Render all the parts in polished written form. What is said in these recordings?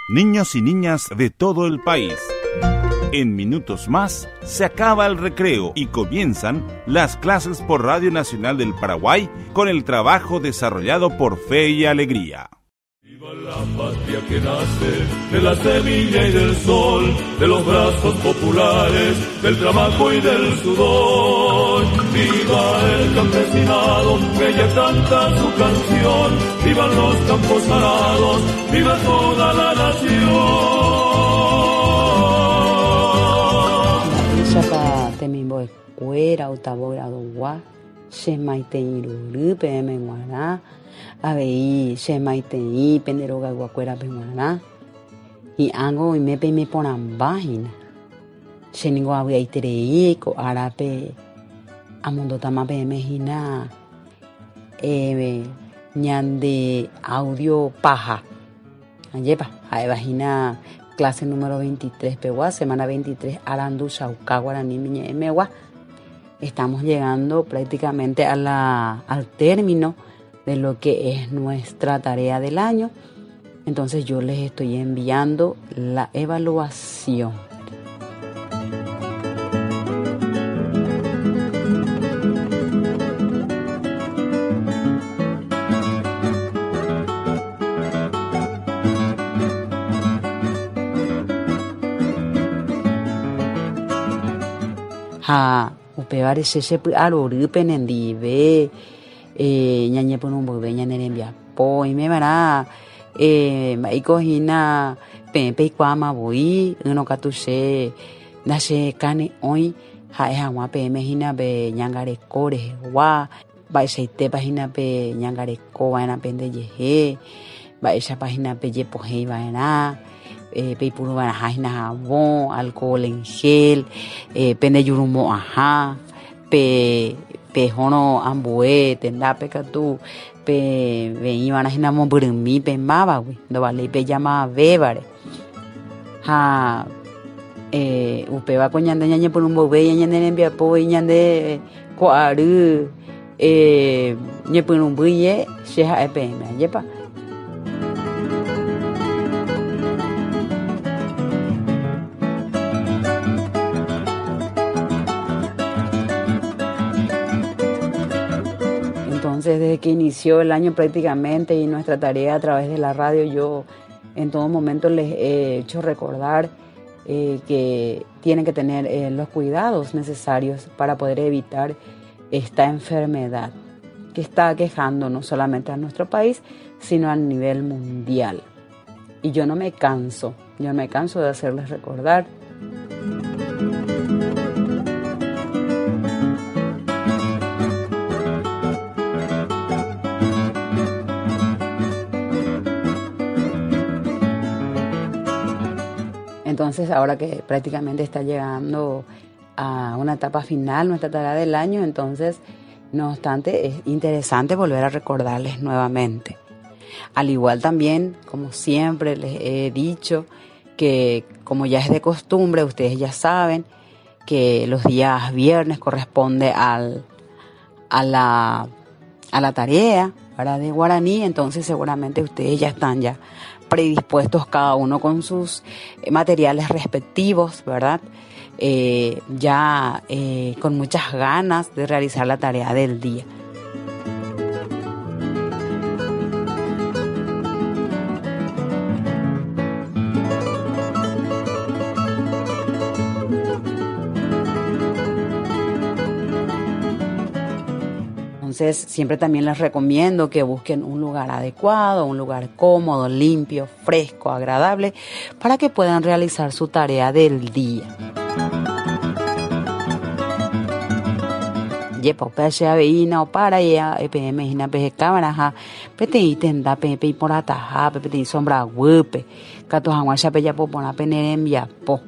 Niños y niñas de todo el país. En minutos más se acaba el recreo y comienzan las clases por Radio Nacional del Paraguay con el trabajo desarrollado por Fe y Alegría. Viva la patria que nace de la semilla y del sol, de los brazos populares, del trabajo y del sudor. Viva el campesinado que ya canta su canción, vivan los campos arados, viva toda la nación. Mba'éichapa temimbo'ekuéra octavo gradogua che maitei rory peẽme g̃uarã Avei che maitei pende rogayguakuérape g̃uarã, hi'ãngo oime peime porãmba hína. Che ningo avy'aiterei ko árape amondótama peẽme hína ñande audio paha. Ajépa, ha'éva hína clase número 23 pegua, semana 23 arandu chauka guaraníme ñe'ẽmegua. Estamos llegando prácticamente a la, al término de lo que es nuestra tarea del año. Entonces yo les estoy enviando la evaluación. Ha upévare che chepy'arory penendive ñañepyrũ mboyve ñane rembiapo. Oimeva'erã mba'éiko hína peẽ peikuaáma voi, ỹrõ katu che ndachekane'õi ha'e hag̃ua peẽme hína pe ñangareko rehegua. Mba'eichaitépa hína pe ñangareko va'erã pendejehe, mba'éichapa hína pejepohéi va'erã, peipuru va'erãha hína havõ, alcohol en gel, pendejurumo'ãha, pe pehórõ ambue tendápe katu peveĩ va'erã hína mombyrymi pe mávagui, ndovaléi pejamavévare. Ha upéva ko ñande ñañepyrũ mboyve ñane rembiapo voi ñande Ko ary ñepyrũmbýie che ha'e peẽme, ajépa? Entonces, desde que inició el año prácticamente y nuestra tarea a través de la radio, yo en todo momento les he hecho recordar eh, que tienen que tener eh, los cuidados necesarios para poder evitar esta enfermedad que está aquejando no solamente a nuestro país, sino a nivel mundial. Y yo no me canso, yo no me canso de hacerles recordar. Entonces, ahora que prácticamente está llegando a una etapa final, nuestra tarea del año, entonces, no obstante, es interesante volver a recordarles nuevamente. Al igual también, como siempre les he dicho, que como ya es de costumbre, ustedes ya saben que los días viernes corresponde al, a, la, a la tarea ¿verdad? de guaraní, entonces seguramente ustedes ya están ya predispuestos cada uno con sus materiales respectivos, ¿verdad? Eh, ya eh, con muchas ganas de realizar la tarea del día. Entonces, siempre también les recomiendo que busquen un lugar adecuado, un lugar cómodo, limpio, fresco, agradable, para que puedan realizar su tarea del día. Jepa upéva che avei hína opara peẽme hína peheka va'erãha peteĩ tenda peẽ peiporãtahápe, peteĩ sombra guýpe, katu hag̃uáicha pejapo porã pene rembiapo.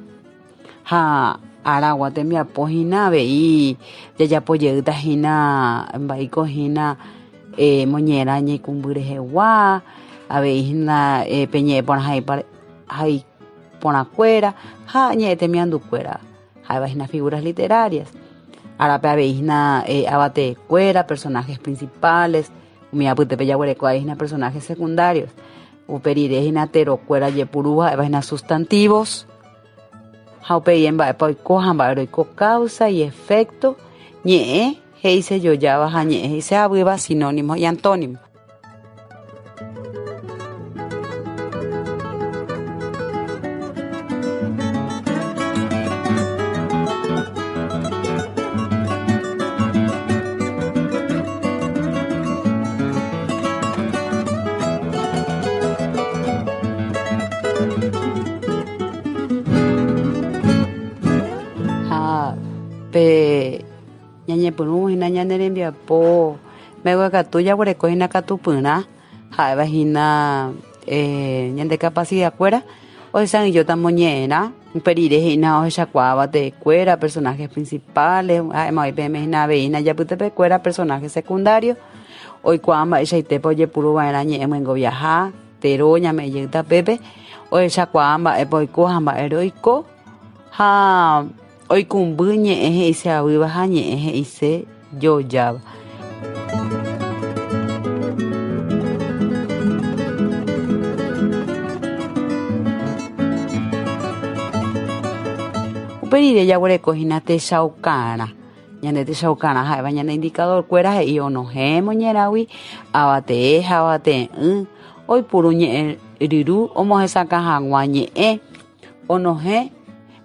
Ha aragua tembiapo hína avei jajapo jeýta hína mba'éiko hína moñe'ẽrã ñeikũmby rehegua, avei hína pe ñe'ẽ porã hai porãkuéra ha ñe'ẽ temiandukuéra ha'éva hína figuras literarias. Árape avei hína avatekuéra, personajes principales, umi apytépe jaguereko avei hína personajes secundarios. Upe rire hína terokuéra jepuru ha'éva hína sustantivos. Ha upéi mba'épa oiko ha mba'e roiko causa y efecto, ñe'ẽ he'isejojáva ha ñe'ẽ he'ise'avýva sinónimo y antónimo. Ha pe ñañepyrũ hína ñane rembiapo mbeguekatu jaguereko hína katupyrã ha'éva hína ñande capacidad-kuéra ohesa'ỹijóta moñe'ẽrã upe rire hína ohechakuaáva teekuéra personajes principales ha'éma oĩ peẽme hína avei hína ijapytepekuéra personajes secundarios oikuaa mba'eichaitépa ojepuru va'erã ñe'ẽ myengoviaha tero ñame'ẽ jey tapépe ohechakuaa mba'épa oiko ha mba'ére oiko ha Oikũmby ñe'ẽ he'iseavýva ha ñe'ẽ he'ise jojáva. Upe rire jaguereko hína techaukarã. Ñande techaukarã ha'éva ñane indicador-kuéra he'i onohẽ moñerãgui avatee ha avatee'ỹ, oipuru ñe'ẽ ryru omohesakã hag̃ua ñe'ẽ. Onohẽ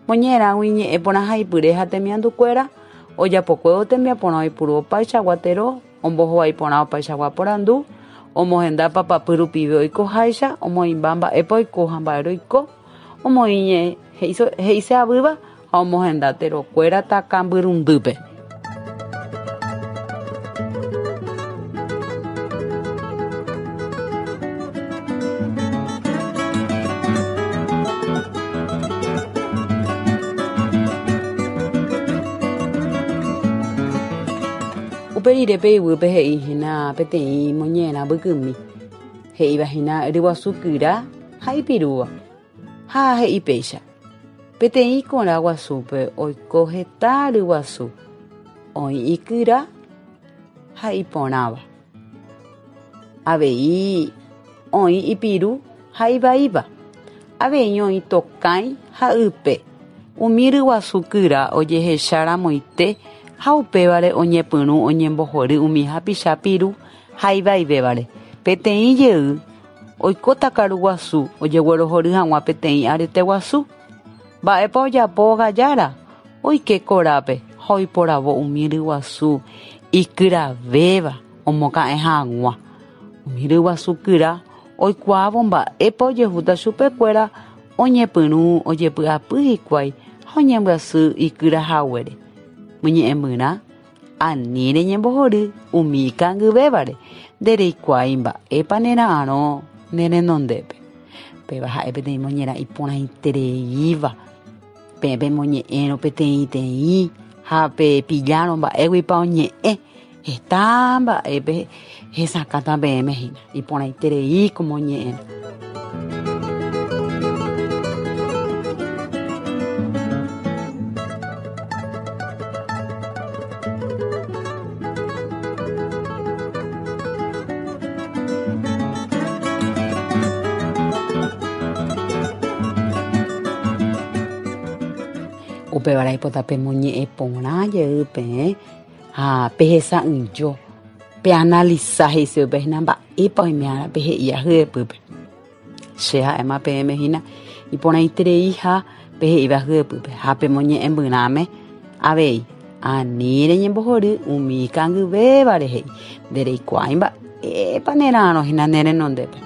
moñe'ẽrãgui ñe'ẽ porãhaipyre ha temiandukuéra, ojapokuévo tembiaporã oipuru opaichagua tero, ombohovái porã opaichagua porandu, omohenda papapy rupive oikoháicha, omoĩmba mba'épa oiko ha mba'e roiko, omoĩ ñe'ẽ he'ise'avýva ha omohenda terokuéra takãmbyrundýpe. Upe rire pe yvýpe he'i hína peteĩ moñe'ẽrã mbykymi, he'íva hína ryguasu kyra ha ipirúva. Ha he'i péicha, Peteĩ kora guasúpe oiko heta ryguasu, oĩ ikyra ha iporãva. Avei oĩ ipiru ha ivaíva. Avei oĩ tokãi ha ype. Umi ryguasu kyra ojehecha ramoite ha upévare oñepyrũ oñembohory umi hapicha piru ha ivaivévare. Peteĩ jey Oikóta karu guasu ojeguerohory hag̃ua peteĩ arete guasu. Mba'épa ojapo ogajára? Oike korápe ha oiporavo umi ryguasu ikyravéva omoka'ẽ hag̃ua. Umi ryguasu kyra oikuaávo mba'épa ojehúta chupekuéra oñepyrũ ojepy'apy hikuái ha oñembyasy ikyra haguére. Moñe'ẽmbyrã Ani reñembohory umi ikangyvévare, ndereikuaái mba'épa nera'arõ ne renondépe. Péva ha'e peteĩ moñerã iporãitereíva. Peẽ pemoñe'ẽrõ peteĩteĩ ha pepillárõ mba'éguipa oñe'ẽ, heta mba'épe hesakãta peẽme hína. Iporãiterei ko moñe'ẽrã. Upévare aipota pemoñe'ẽ porã jey peẽ ha pehesa'ỹijo. Peanalisa he'ise upe hína mba'épa oime ára pe he'íva hyepýpe. Che ha'éma peẽme hína iporãitereiha pe he'íva hyepýpe ha pemoñe'ẽmbyrãme avei. Ani reñembohory umi ikangyvévare he'i, ndereikuaái mba'épa nera'arõ hína ne renondépe.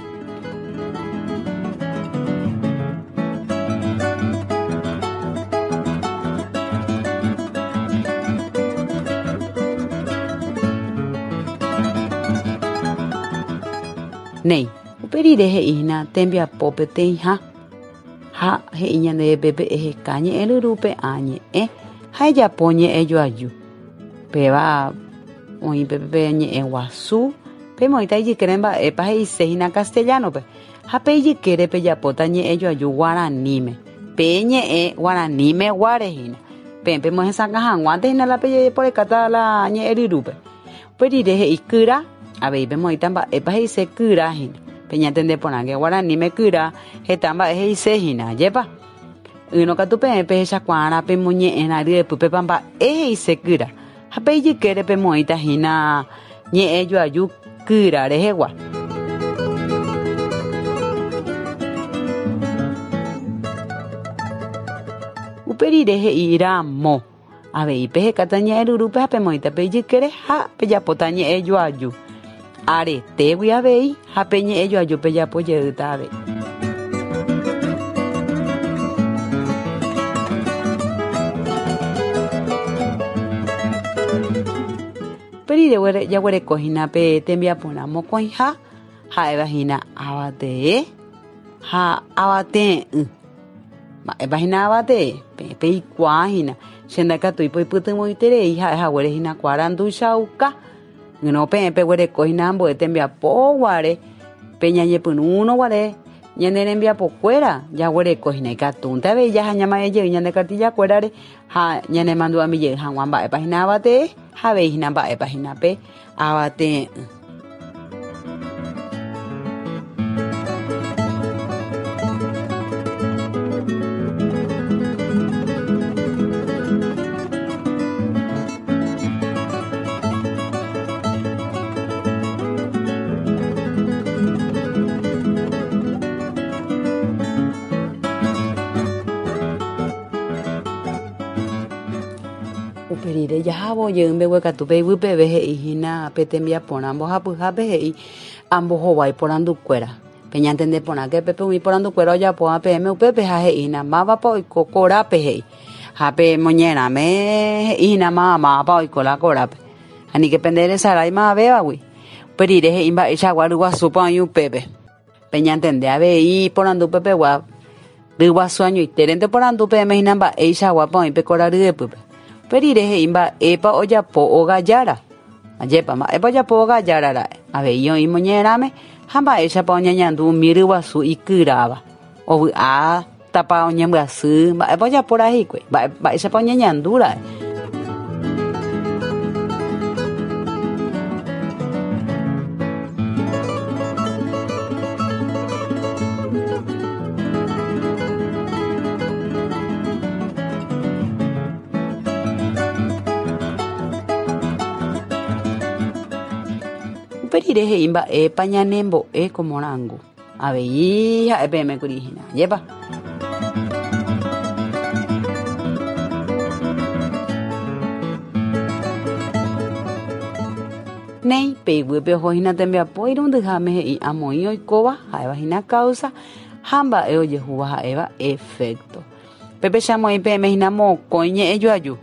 Néi, upe rire he'i hína tembiapo peteĩha, ha he'i ñandéve pépe eheka ñe'ẽ ryrúpe ã ñe'ẽ ha ejapo ñe'ẽ joaju. Péva oĩ pépe pe ñe'ẽ guasu, pemoĩta ijykére mba'épa he'ise hína castellano-pe, ha pe ijykére pejapóta ñe'ẽ joaju guaraníme. Pe ñe'ẽ guaraníme guare hína. Peẽ pemohesakã hag̃uánte hína la pejeporekáta la ñe'ẽ ryrúpe. Upe rire he'i kyra, avei pemoĩta mba'épa he'ise kyra hína. Peñatende porãke guaraníme kyra heta mba'e he'ise hína, ajépa? Ỹrõ katu peẽ pehechakuaarã pemoñe'ẽrã ryepýpepa mba'e he'ise kyra, ha pe ijykére pemoĩta hína ñe'ẽ joaju kyra rehegua. Upe rire he'i ramo, avei pehekáta ñe'ẽ rurúpe ha pemoĩta pe ijykére ha pejapóta ñe'ẽ joaju. Aretégui avei ha pe ñe'ẽ joaju pejapo jeýta avei. Upe rire jaguereko hína pe tembiaporã mokõiha ha'éva hína avatee ha avatee'ỹ. Mba'épa hína avatee? Peẽ peikuaa hína. Che ndaikatúi poipytyvõiterei ha'e haguére hína ko aranduchauka. Ỹrõ peẽ peguereko hína ambue tembiapo guare, pe ñañepyrũrõ guare ñane rembiapokuéra jaguereko hína ikatúnte avei jaha ñama'ẽ jey ñande kartillakuérare ha ñanemandu'ami jey hag̃ua mba'épa hína avatee ha avei hína mba'épa hína pe avatee'ỹ. Upe rire jahávo jey mbeguekatu pe yvy peve he'i hína pe tembiaporã mbohapyhápe he'i ambohovái porandukuéra. Peñantende porãke pépe umi porandukuéra ojapóva peẽme upépe ha he'i hína mávapa oiko korápe he'i. Ha pe moñerãme he'i hína máva mávapa oiko la korápe. Aníke pende resarái mavévagui. Upe rire he'i mba'eichagua ryguasúpa oĩ upépe. Peñantende avei porandu pepegua ryguasu añoitérente oporandu peẽme hína mba'eichaguápa oĩ pe kora ryepýpe. Upe rire he'i mba'épa ojapo óga jára. Ajépa, mba'épa ojapo óga jára ra'e. Avei oĩ moñerãme ha mba'éichapa oñeñandu umi ryguasu ikyráva. Ovy'a tapa oñembyasy, mba'épa ojapo ra'e hikuái, mba'éichapa oñeñandu ra'e. Upe rire he'i mba'épa ñanembo'e ko morangu. Avei ha'e peẽme kuri hína, ajépa? Néi, pe iguýpe oho hína tembiapo irundyháme he'i amoĩ oikóva ha'éva hína causa ha mba'e ojehúva ha'éva efecto. Pépe che amoĩ peẽme hína mokõi ñe'ẽ joaju.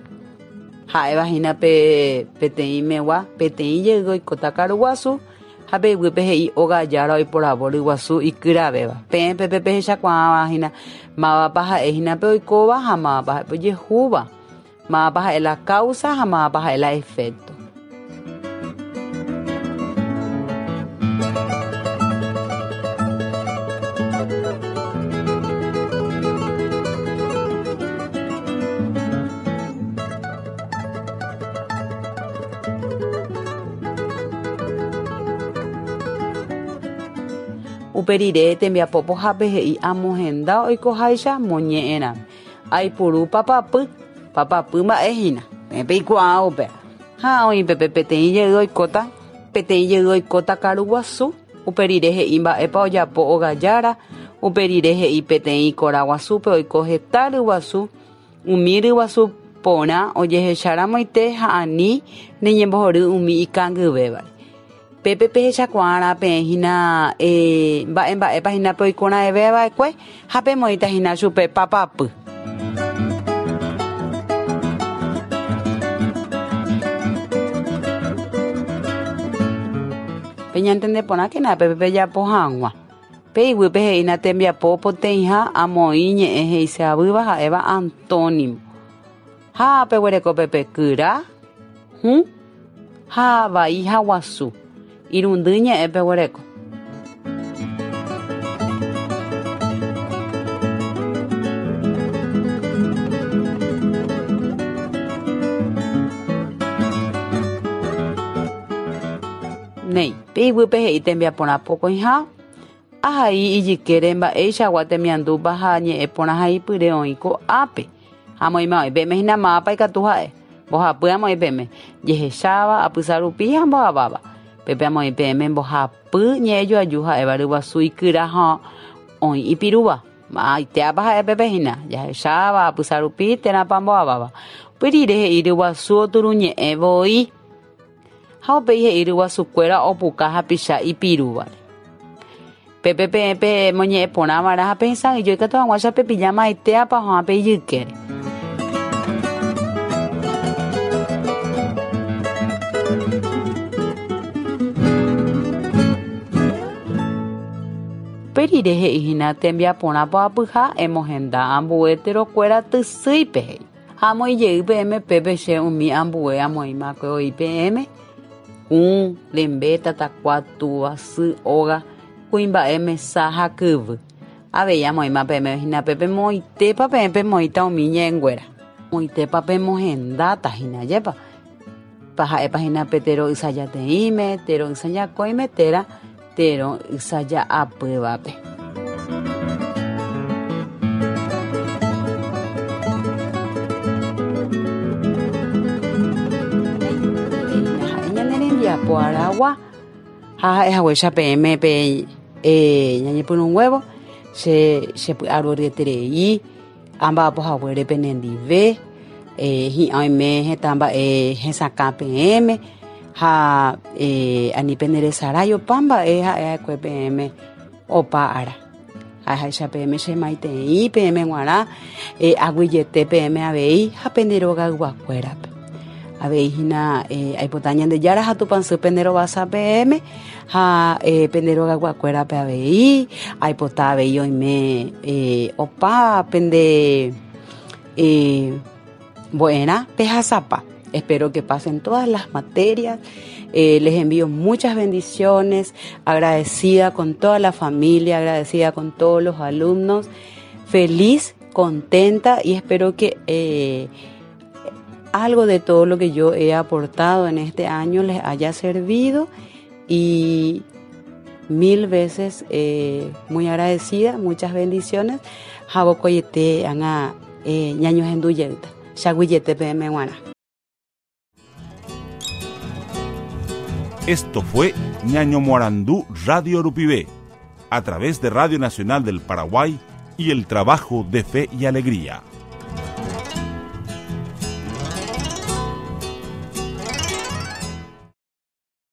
Ha'éva hína pe peteĩ megua, peteĩ jey oikóta karu guasu Ha pe yvýpe he'i óga jára oiporavo ryguasu ikyravéva. Peẽ pépe pehechakuaáva hína mávapa ha'e hína pe oikóva ha mávapa ha'e pe ojehúva, mávapa ha'e la causa ha mávapa ha'e la efecto. Upe rire tembiapo pohápe he'i amohenda oikoháicha moñe'ẽrãme. Aipuru papapy, papapy mba'e hína, peẽ peikuaa upéva. Ha oĩ pépe peteĩ jey oikóta, peteĩ jey oikóta karu guasu, upe rire he'i mba'épa ojapo óga jára, upe rire he'i peteĩ kora guasúpe oiko heta ryguasu, Umi ryguasu porã ojehecha ramoite ha ani reñembohory umi ikangyvévare. Pépe pehechakuaarã peẽ hína mba'e mba'épa hína pe oikorãeve va'ekue ha pemoĩta hína chupe papapy. Peñantende porãkena pépe pejapo hag̃ua. Pe iguýpe he'ína tembiapo poteĩha amoĩ ñe'ẽ he'iseavýva ha'éva antónimo. Ha peguereko pepe kyra, hũ, ha vai ha guasu. Irundy ñe'ẽ peguereko. Néi, pe iguýpe he'i tembiaporã pokõiha. Ahai ijykére mba'eichagua temiandúpa ha ñe'ẽ porãhaipyre oĩ ko'ápe. Ha amoĩma oĩ peẽme hína mávapa ikatu ha'e. Mbohapy amoĩ peẽme, jehecháva, apysa rupi ha mboaváva. Pépe amoĩ peẽme mbohapy ñe'ẽjoaju ha'éva ryguasu ikyra ha oĩ ipirúva. Ma'ãitéapa ha'e pépe hína, jahecháva, apysa rupi térãpa mboaváva. Upe rire he'i ryguasu oturuñe'ẽ voi. Ha upéi he'i ryguasukuéra opuka hapicha ipirúvare. Pépe peẽ pemoñe'ẽ porã va'erã ha pehesa'ỹijo ikatu hag̃uáicha pepilla ma'ãitéapa oha'ã pe ijykére. Upe rire he'i hína tembiaporã poapyha emohenda ambue terokuéra tysýipe he'i. Ha amoĩ jey peẽme pépe che umi ambue amoĩmakue voi peẽme, kũ, rembe, tatakua, túva, sy, óga, kuimba'e, mesa ha kyvy. Avei amoĩma peẽme hína pépe moõitépa peẽ pemoĩta umi ñe'ẽnguéra. Moõitépa pemohendáta hína, ajépa? Ha'épa hína pe tero ysajateĩme, tero ysajakõime térã tero ysaja'apývape. Ha'e ñane rembiapo aragua ha ha'e haguéicha peẽme pe ñañepyrũnguévo che chepy'aroryeterei amba'apo haguére penendive hi'ã oime heta mba'e hesakã peẽme ha ani peneresarái opa mba'e ha'e va'ekue peẽme opa ára. Ha'eháicha peẽme che maitei peẽme g̃uarã aguyjete peẽme avei ha pende rogayguakuérape. Avei hína aipota Ñandejára ha Tupãsy pende rovasa peẽme ha pende rogayguakuérape avei, aipota avei oime opa pende mbo'erã pehasapa. Espero que pasen todas las materias. Les envío muchas bendiciones, agradecida con toda la familia, agradecida con todos los alumnos, feliz, contenta y espero que eh, algo de todo lo que yo he aportado en este año les haya servido y mil veces eh, muy agradecida, muchas bendiciones. Javokoyete anga eh, ñañohendu jeýta. Chaguyjete peẽme g̃uarã. Esto fue Ñaño Moarandú Radio Rupive, a través de Radio Nacional del Paraguay y el trabajo de Fe y Alegría.